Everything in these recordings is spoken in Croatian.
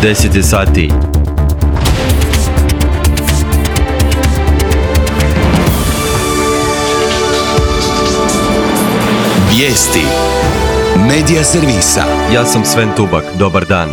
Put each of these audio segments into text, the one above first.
10 sati. Vijesti Medija servisa. Ja sam Sven Tubak, dobar dan.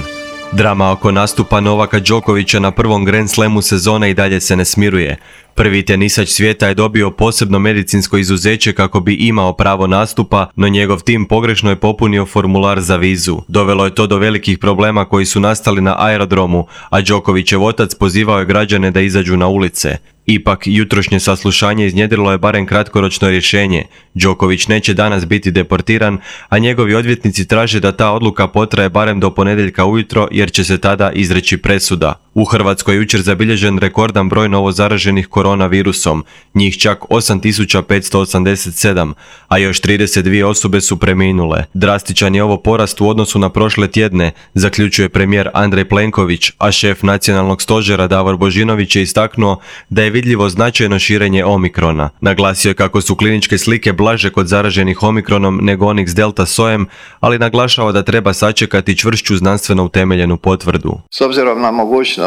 Drama oko nastupa Novaka Đokovića na prvom Grand Slamu sezone i dalje se ne smiruje. Prvi tenisač svijeta je dobio posebno medicinsko izuzeće kako bi imao pravo nastupa, no njegov tim pogrešno je popunio formular za vizu. Dovelo je to do velikih problema koji su nastali na aerodromu, a Đokovićev otac pozivao je građane da izađu na ulice. Ipak, jutrošnje saslušanje iznjedrilo je barem kratkoročno rješenje. Đoković neće danas biti deportiran, a njegovi odvjetnici traže da ta odluka potraje barem do ponedjeljka ujutro jer će se tada izreći presuda. U Hrvatskoj je jučer zabilježen rekordan broj novozaraženih koronavirusom, njih čak 8587, a još 32 osobe su preminule. Drastičan je ovo porast u odnosu na prošle tjedne, zaključuje premijer Andrej Plenković, a šef nacionalnog stožera Davor Božinović je istaknuo da je vidljivo značajno širenje omikrona. Naglasio je kako su kliničke slike blaže kod zaraženih omikronom nego onih s delta sojem, ali naglašava da treba sačekati čvršću znanstveno utemeljenu potvrdu. S obzirom na mogućnost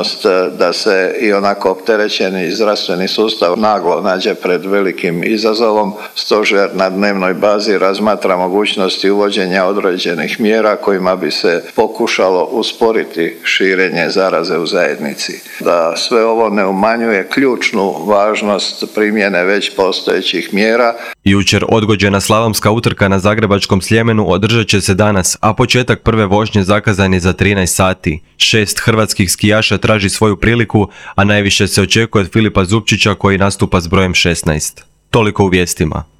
da se i onako opterećeni zdravstveni sustav naglo nađe pred velikim izazovom, stožer na dnevnoj bazi razmatra mogućnosti uvođenja određenih mjera kojima bi se pokušalo usporiti širenje zaraze u zajednici. Da sve ovo ne umanjuje ključnu važnost primjene već postojećih mjera. Jučer odgođena slalomska utrka na Zagrebačkom Sljemenu održat će se danas, a početak prve vožnje zakazan je za 13 sati. 6 hrvatskih skijaša traži svoju priliku, a najviše se očekuje od Filipa Zupčića koji nastupa s brojem 16. Toliko u vijestima.